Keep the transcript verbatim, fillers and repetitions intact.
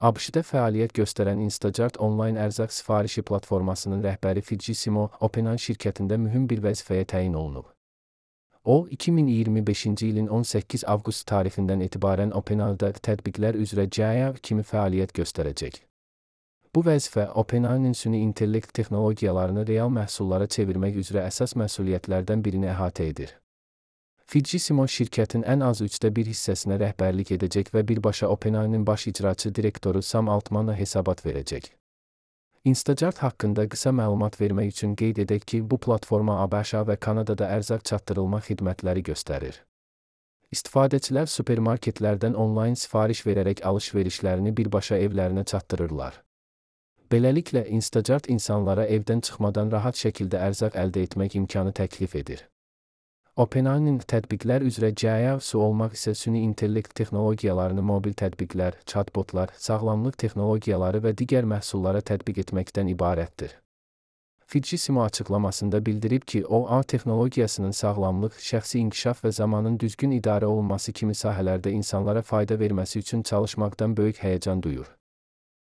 ABŞ-da fəaliyyət göstərən Instacart onlayn ərzaq sifarişi platformasının rəhbəri Fitzgerald OpenAI şirkətində mühüm bir vəzifəyə təyin olunub. O, iki min iyirmi beşinci ilin on səkkiz avqust tarixindən etibarən OpenAI-da tətbiqlər üzrə G A I kimi fəaliyyət göstərəcək. Bu vəzifə OpenAI-nin süni intellekt texnologiyalarını real məhsullara çevirmək üzrə əsas məsuliyyətlərdən birini əhatə edir. Fitzgerald şirkətin ən az üçdə bir hissəsinə rəhbərlik edəcək və birbaşa OpenAI-nin baş icraçı direktoru Sam Altmana hesabat verəcək. Instacart haqqında qısa məlumat vermək üçün qeyd edək ki, bu platforma ABŞ və Kanadada ərzaq çatdırılma xidmətləri göstərir. İstifadəçilər supermarketlərdən onlayn sifariş verərək alış-verişlərini birbaşa evlərinə çatdırırlar. Beləliklə, Instacart insanlara evdən çıxmadan rahat şəkildə ərzaq əldə etmək imkanı təklif edir. OpenAI-nin tətbiqlər üzrə G A I-si olmaq isə süni intellekt texnologiyalarını mobil tətbiqlər, chatbotlar, sağlamlıq texnologiyaları və digər məhsullara tətbiq etməkdən ibarətdir. Fitzgerald açıqlamasında bildirib ki, o, A I texnologiyasının sağlamlıq, şəxsi inkişaf və zamanın düzgün idarə olunması kimi sahələrdə insanlara fayda verməsi üçün çalışmaqdan böyük həyəcan duyur.